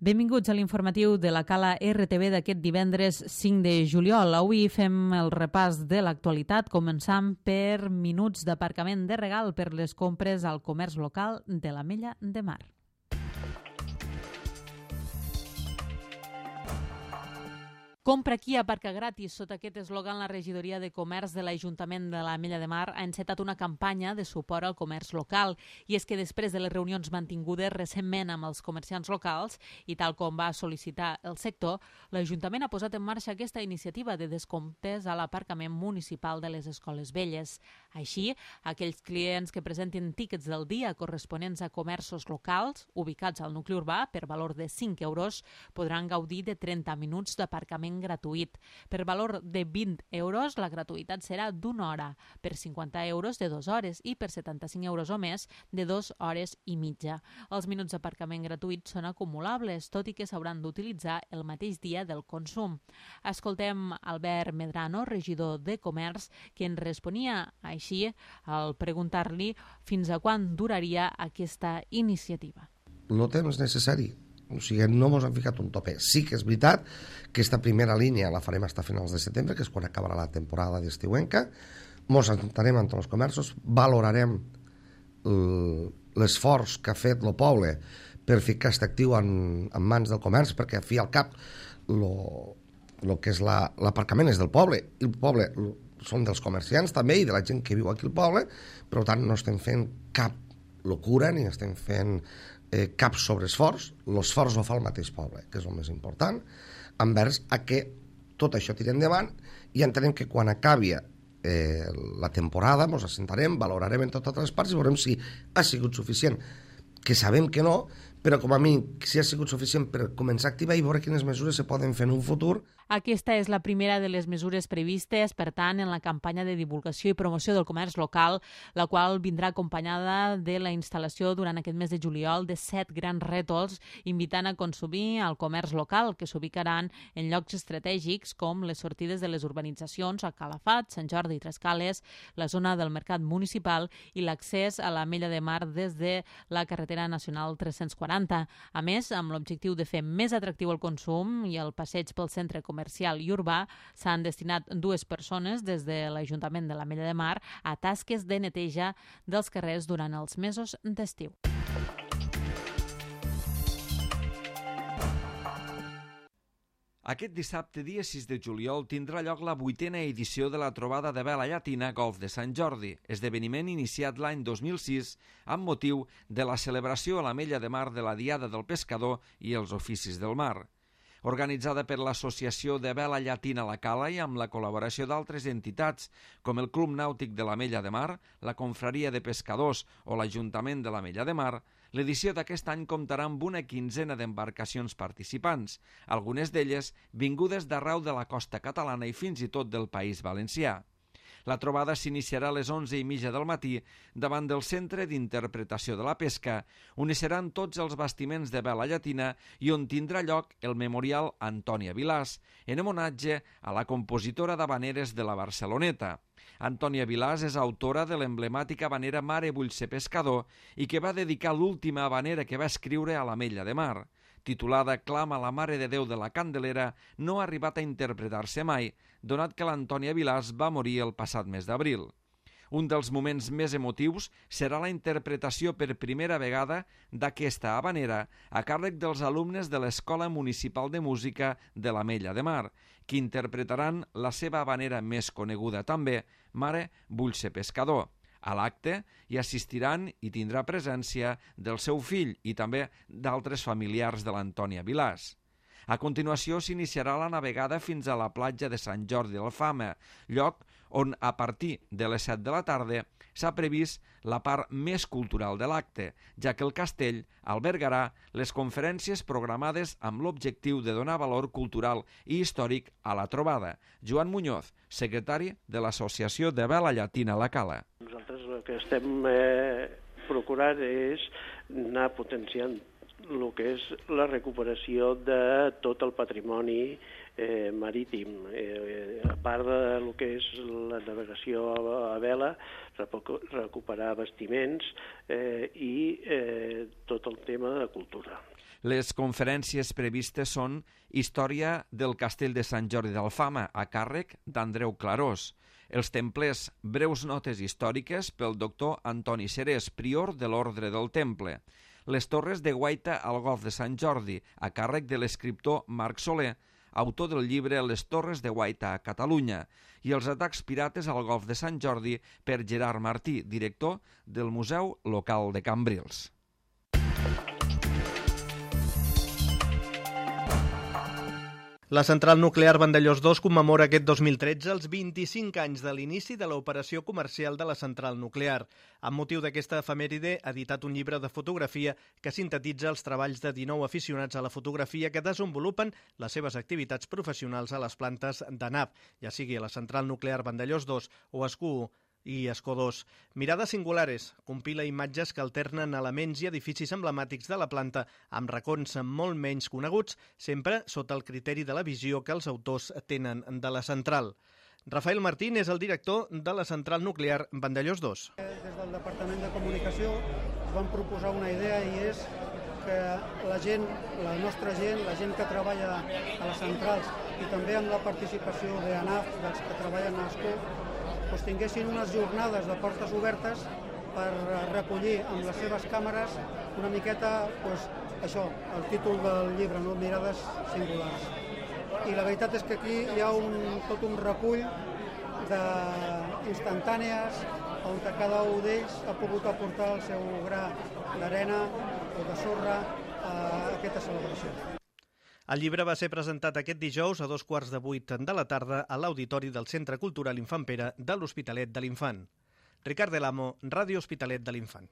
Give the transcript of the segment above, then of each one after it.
Benvinguts a l'informatiu de la Cala RTV d'aquest divendres 5 de juliol. Avui fem el repàs de l'actualitat, començant per minuts d'aparcament de regal per les compres al comerç local de l'Ametlla de Mar. Compra aquí, aparca gratis. Sota aquest eslògan, la regidoria de comerç de l'Ajuntament de l'Ametlla de Mar ha encetat una campanya de suport al comerç local. I és que després de les reunions mantingudes recentment amb els comerciants locals i tal com va sol·licitar el sector, l'Ajuntament ha posat en marxa aquesta iniciativa de descomptes a l'aparcament municipal de les escoles velles. Així, aquells clients que presentin tíquets del dia corresponents a comerços locals ubicats al nucli urbà per valor de 5 euros podran gaudir de 30 minuts d'aparcament gratuït. Per valor de 20 euros, la gratuïtat serà d'una hora, per 50 euros de 2 hores i per 75 euros o més de 2 hores i mitja. Els minuts d'aparcament gratuït són acumulables, tot i que s'hauran d'utilitzar el mateix dia del consum. Escoltem Albert Medrano, regidor de Comerç, que en responia així al preguntar-li fins a quan duraria aquesta iniciativa. El temps necessari. O sigui, no ens han ficat un tope. Sí que és veritat que aquesta primera línia la farem fins a finals de setembre, que és quan acabarà la temporada d'estiuenca. Ens sentarem entre els comerços, valorarem l'esforç que ha fet el poble per ficar aquest actiu en mans del comerç, perquè al fi i al cap el que és l'aparcament és del poble, i el poble són dels comerciants també i de la gent que viu aquí al poble, per tant no estem fent cap locura ni estem fent cap sobreesforç. L'esforç ho fa el mateix poble, que és el més important, envers a que tot això tiri endavant, i entenem que quan acabi la temporada ens assentarem, valorarem en totes les parts i veurem si ha sigut suficient, que sabem que no, però com a mi si ha sigut suficient per començar a activar i veure quines mesures se poden fer en un futur. Aquesta és la primera de les mesures previstes, per tant, en la campanya de divulgació i promoció del comerç local, la qual vindrà acompanyada de la instal·lació durant aquest mes de juliol de 7 grans rètols invitant a consumir al comerç local, que s'ubicaran en llocs estratègics com les sortides de les urbanitzacions a Calafat, Sant Jordi i Trescales, la zona del mercat municipal i l'accés a l'Ametlla de Mar des de la carretera nacional 340. A més, amb l'objectiu de fer més atractiu el consum i el passeig pel centre comercial i urbà, s'han destinat 2 persones des de l'Ajuntament de l'Ametlla de Mar a tasques de neteja dels carrers durant els mesos d'estiu. Aquest dissabte, dia 6 de juliol, tindrà lloc la 8a edició de la trobada de vela llatina Golf de Sant Jordi, esdeveniment iniciat l'any 2006 amb motiu de la celebració a l'Ametlla de Mar de la Diada del Pescador i els Oficis del Mar. Organitzada per l'Associació de Vela Llatina La Cala i amb la col·laboració d'altres entitats com el Club Nàutic de l'Ametlla de Mar, la Confraria de Pescadors o l'Ajuntament de l'Ametlla de Mar, l'edició d'aquest any comptarà amb una 15ena d'embarcacions participants, algunes d'elles vingudes d'arreu de la costa catalana i fins i tot del País Valencià. La trobada s'iniciarà a les 11:30 del matí davant del Centre d'Interpretació de la Pesca, on hi seran tots els bastiments de vela llatina i on tindrà lloc el Memorial Antònia Vilàs, en homenatge a la compositora d'havaneres de la Barceloneta. Antònia Vilàs és autora de l'emblemàtica havanera Mare vull ser pescador i que va dedicar l'última havanera que va escriure a l'Ametlla de Mar. Titulada Clama a la Mare de Déu de la Candelera, no ha arribat a interpretar-se mai, donat que l'Antònia Vilàs va morir el passat mes d'abril. Un dels moments més emotius serà la interpretació per primera vegada d'aquesta havanera a càrrec dels alumnes de l'Escola Municipal de Música de l'Ametlla de Mar, que interpretaran la seva havanera més coneguda també, Mare vull ser pescador. A l'acte hi assistiran i tindrà presència del seu fill i també d'altres familiars de l'Antònia Vilàs. A continuació s'iniciarà la navegada fins a la platja de Sant Jordi d'Alfama, lloc on a partir de les 7 de la tarda s'ha previst la part més cultural de l'acte, ja que el castell albergarà les conferències programades amb l'objectiu de donar valor cultural i històric a la trobada. Joan Muñoz, secretari de l'Associació de Vela Llatina La Cala. Nosaltres el que estem procurant és anar potenciant el que és la recuperació de tot el patrimoni marítim, a part del que és la navegació a vela, recuperar bastiments i tot el tema tema de cultura. Les conferències previstes són Història del Castell de Sant Jordi d'Alfama, a càrrec d'Andreu Clarós. Els templers, breus notes històriques pel doctor Antoni Serés, prior de l'Ordre del Temple. Les torres de guaita al Golf de Sant Jordi, a càrrec de l'escriptor Marc Soler, autor del llibre Les torres de guaita a Catalunya, i els atacs pirates al Golf de Sant Jordi per Gerard Martí, director del Museu Local de Cambrils. La central nuclear Vandellòs 2 commemora aquest 2013 els 25 anys de l'inici de l'operació comercial de la central nuclear. Amb motiu d'aquesta efemèride, ha editat un llibre de fotografia que sintetitza els treballs de 19 aficionats a la fotografia que desenvolupen les seves activitats professionals a les plantes de NAV, ja sigui a la central nuclear Vandellòs 2 o Escú i Escó 2. Mirades singulares compila imatges que alternen elements i edificis emblemàtics de la planta amb racons molt menys coneguts, sempre sota el criteri de la visió que els autors tenen de la central. Rafael Martín és el director de la central nuclear Vandellòs 2. Des del Departament de Comunicació vam proposar una idea i és que la gent, la nostra gent, la gent que treballa a les centrals i també amb la participació d'ANAF, dels que treballen a Escó, tinguessin unes jornades de portes obertes per recollir amb les seves càmeres una miqueta, això, el títol del llibre, no? Mirades singulars. I la veritat és que aquí hi ha tot un recull d'instantànies on cada un d'ells ha pogut aportar el seu gra d'arena o de sorra a aquesta celebració. El llibre va ser presentat aquest dijous a 7:15 de la tarda a l'Auditori del Centre Cultural Infant Pere de l'Hospitalet de l'Infant. Ricard Del Amo, Ràdio Hospitalet de l'Infant.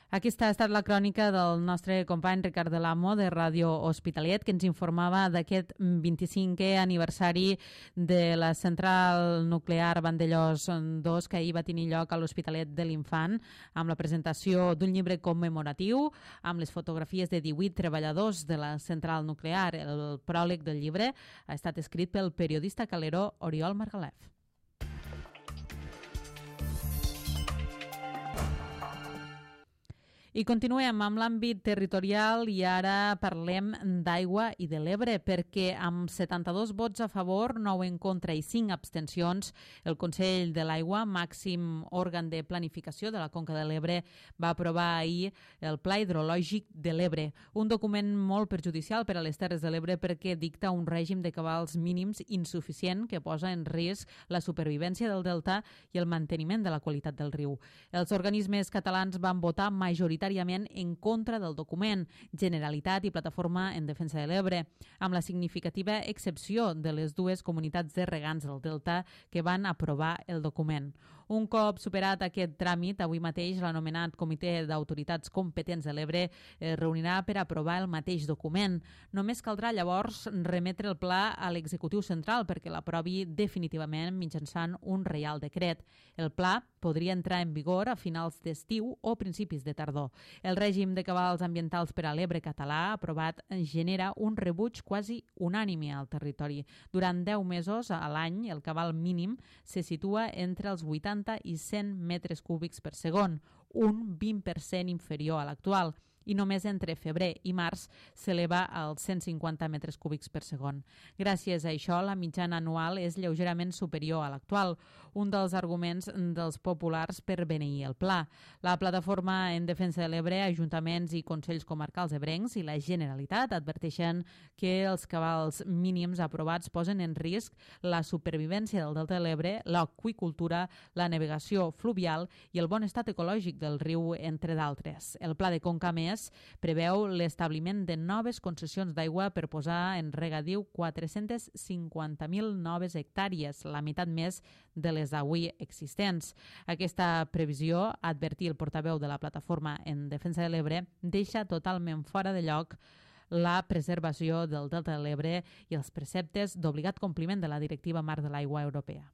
Aquesta ha estat la crònica del nostre company Ricard Del Amo de Ràdio Hospitalet, que ens informava d'aquest 25è aniversari de la central nuclear Vandellòs 2 que ahir va tenir lloc a l'Hospitalet de l'Infant, amb la presentació d'un llibre commemoratiu amb les fotografies de 18 treballadors de la central nuclear. El pròleg del llibre ha estat escrit pel periodista caleró Oriol Margalef. I continuem amb l'àmbit territorial i ara parlem d'aigua i de l'Ebre, perquè amb 72 vots a favor, 9 en contra i 5 abstencions, el Consell de l'Aigua, màxim òrgan de planificació de la Conca de l'Ebre, va aprovar ahir el Pla Hidrològic de l'Ebre, un document molt perjudicial per a les Terres de l'Ebre perquè dicta un règim de cabals mínims insuficient que posa en risc la supervivència del delta i el manteniment de la qualitat del riu. Els organismes catalans van votar majoritàriament en contra del document, Generalitat i Plataforma en Defensa de l'Ebre, amb la significativa excepció de les dues comunitats de regants del Delta que van aprovar el document. Un cop superat aquest tràmit, avui mateix l'anomenat Comitè d'Autoritats Competents de l'Ebre es reunirà per aprovar el mateix document. Només caldrà llavors remetre el pla a l'executiu central perquè l'aprovi definitivament mitjançant un reial decret. El pla podria entrar en vigor a finals d'estiu o principis de tardor. El règim de cabals ambientals per a l'Ebre català aprovat genera un rebuig quasi unànime al territori. Durant 10 mesos a l'any, el cabal mínim se situa entre els 80 i 100 metres cúbics per segon, un 20% inferior a l'actual, i només entre febrer i març s'eleva als 150 metres cúbics per segon. Gràcies a això, la mitjana anual és lleugerament superior a l'actual, un dels arguments dels populars per beneir el pla. La Plataforma en Defensa de l'Ebre, ajuntaments i consells comarcals ebrencs i la Generalitat adverteixen que els cabals mínims aprovats posen en risc la supervivència del Delta de l'Ebre, l'aqüicultura, la navegació fluvial i el bon estat ecològic del riu, entre d'altres. El Pla de Conca Més preveu l'establiment de noves concessions d'aigua per posar en regadiu 450.000 noves hectàrees, la meitat més de les d'avui existents. Aquesta previsió, advertir el portaveu de la Plataforma en Defensa de l'Ebre, deixa totalment fora de lloc la preservació del Delta de l'Ebre i els preceptes d'obligat compliment de la Directiva Marc de l'Aigua Europea.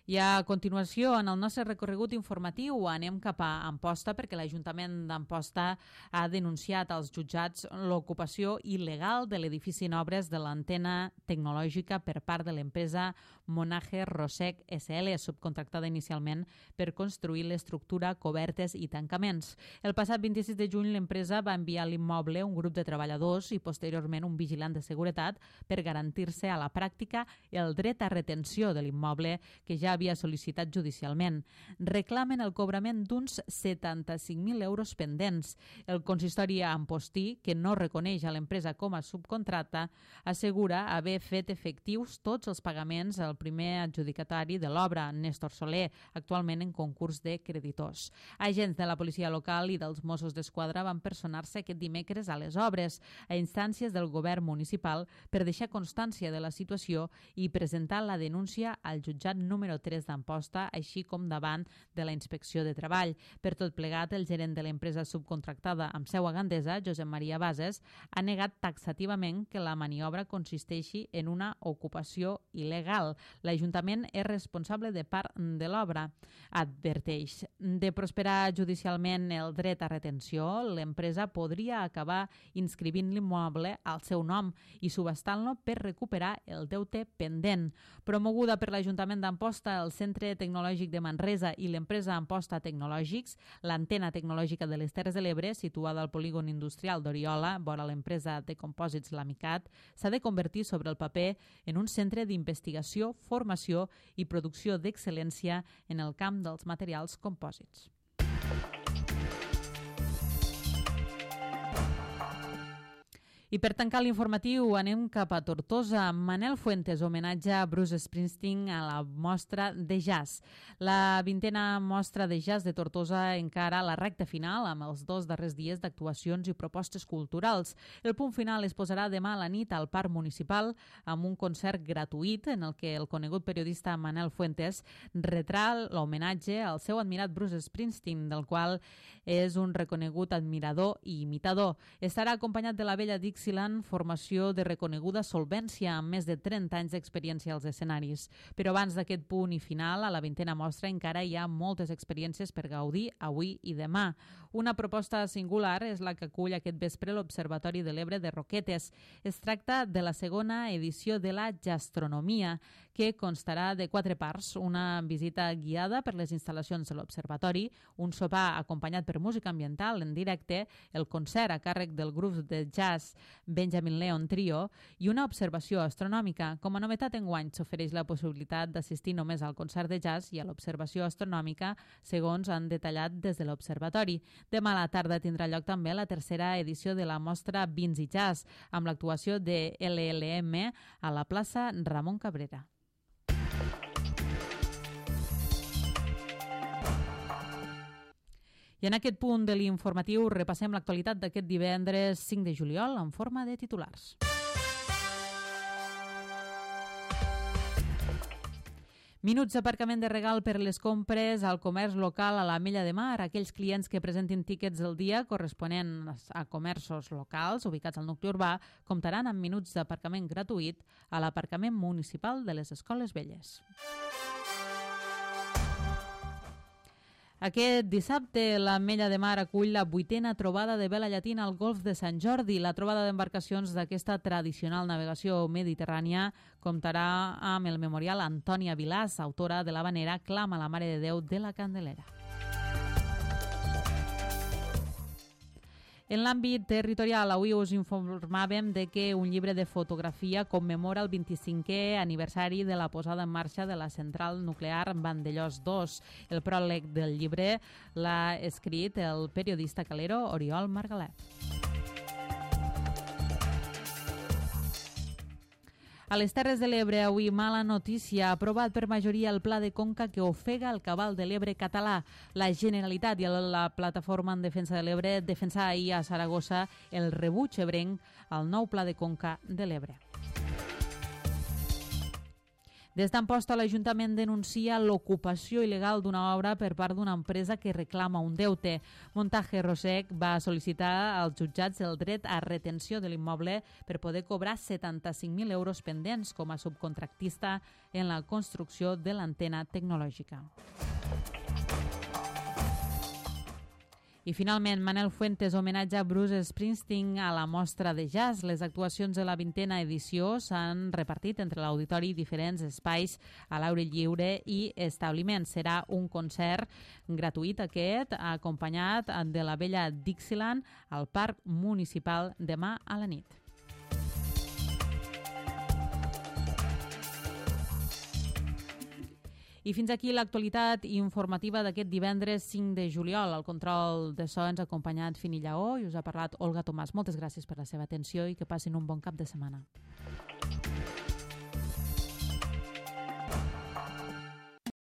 I a continuació, en el nostre recorregut informatiu, anem cap a Amposta perquè l'Ajuntament d'Amposta ha denunciat als jutjats l'ocupació il·legal de l'edifici en obres de l'antena tecnològica per part de l'empresa Monage Rosec SL, subcontractada inicialment per construir l'estructura, cobertes i tancaments. El passat 26 de juny l'empresa va enviar a l'immoble un grup de treballadors i posteriorment un vigilant de seguretat per garantir-se a la pràctica el dret a retenció de l'immoble que ja havia sol·licitat judicialment. Reclamen el cobrament d'uns 75.000 euros pendents. El consistori ampostí, que no reconeix a l'empresa com a subcontracta, assegura haver fet efectius tots els pagaments al primer adjudicatari de l'obra, Néstor Soler, actualment en concurs de creditors. Agents de la policia local i dels Mossos d'Esquadra van personar-se aquest dimecres a les obres, a instàncies del govern municipal, per deixar constància de la situació i presentar la denúncia al jutjat número 3 d'Amposta, així com davant de la Inspecció de Treball. Per tot plegat, el gerent de l'empresa subcontractada amb seu a Gandesa, Josep Maria Bases, ha negat taxativament que la maniobra consisteixi en una ocupació il·legal. L'Ajuntament és responsable de part de l'obra. Adverteix. De prosperar judicialment el dret a retenció, l'empresa podria acabar inscrivint l'immoble al seu nom i subhastant-lo per recuperar el deute pendent. Promoguda per l'Ajuntament d'Amposta, el Centre Tecnològic de Manresa i l'empresa Amposta Tecnològics, l'antena tecnològica de les Terres de l'Ebre, situada al polígon industrial d'Oriola, vora l'empresa de compòsits Lamicat, s'ha de convertir sobre el paper en un centre d'investigació, formació i producció d'excel·lència en el camp dels materials compòsits. I per tancar l'informatiu anem cap a Tortosa. Manel Fuentes homenatge a Bruce Springsteen a la mostra de jazz. La 20a mostra de jazz de Tortosa encara la recta final amb els 2 darrers dies d'actuacions i propostes culturals. El punt final es posarà demà a la nit al Parc Municipal amb un concert gratuït en el que el conegut periodista Manel Fuentes retrà l'homenatge al seu admirat Bruce Springsteen, del qual és un reconegut admirador i imitador. Estarà acompanyat de la vella Dixieland, formació de reconeguda solvència amb més de 30 anys d'experiència als escenaris. Però abans d'aquest punt i final, a la 20a mostra encara hi ha moltes experiències per gaudir avui i demà. Una proposta singular és la que acull aquest vespre l'Observatori de l'Ebre de Roquetes. Es tracta de la segona edició de la Gastronomia, que constarà de 4 parts: una visita guiada per les instal·lacions de l'Observatori, un sopar acompanyat per música ambiental en directe, el concert a càrrec del grup de jazz Benjamin Leon Trio i una observació astronòmica. Com a novetat enguany s'ofereix la possibilitat d'assistir només al concert de jazz i a l'observació astronòmica, segons han detallat des de l'Observatori. Demà a la tarda tindrà lloc també la tercera edició de la mostra Vins i Jazz, amb l'actuació de LLM a la plaça Ramon Cabrera. I en aquest punt de l'informatiu repassem l'actualitat d'aquest divendres 5 de juliol en forma de titulars. Minuts d'aparcament de regal per les compres al comerç local a l'Ametlla de Mar. Aquells clients que presentin tíquets del dia corresponents a comerços locals ubicats al nucli urbà comptaran amb minuts d'aparcament gratuït a l'aparcament municipal de les Escoles Velles. Aquest dissabte, l'Ametlla de Mar acull la 8a trobada de vela llatina al Golf de Sant Jordi. La trobada d'embarcacions d'aquesta tradicional navegació mediterrània comptarà amb el memorial Antònia Vilàs, autora de l'havanera Clama la Mare de Déu de la Candelera. En l'àmbit territorial, avui us informàvem de que un llibre de fotografia commemora el 25è aniversari de la posada en marxa de la central nuclear Vandellòs 2. El pròleg del llibre l'ha escrit el periodista calero Oriol Margalet. A les Terres de l'Ebre, avui mala notícia. Ha aprovat per majoria el pla de conca que ofega el cabal de l'Ebre català. La Generalitat i la Plataforma en Defensa de l'Ebre defensà ahir a Saragossa el rebuig ebrenc al nou pla de conca de l'Ebre. Des d'Amposta, l'Ajuntament denuncia l'ocupació il·legal d'una obra per part d'una empresa que reclama un deute. Montaje Rosec va sol·licitar als jutjats el dret a retenció de l'immoble per poder cobrar 75.000 euros pendents com a subcontractista en la construcció de l'antena tecnològica. I finalment, Manel Fuentes homenatja Bruce Springsteen a la mostra de jazz. Les actuacions de la 20a edició s'han repartit entre l'auditori i diferents espais a l'aire lliure i establiments. Serà un concert gratuït aquest, acompanyat de la vella Dixieland al Parc Municipal demà a la nit. I fins aquí l'actualitat informativa d'aquest divendres 5 de juliol. Al control de so ens ha acompanyat Fini Lleó i us ha parlat Olga Tomàs. Moltes gràcies per la seva atenció i que passin un bon cap de setmana.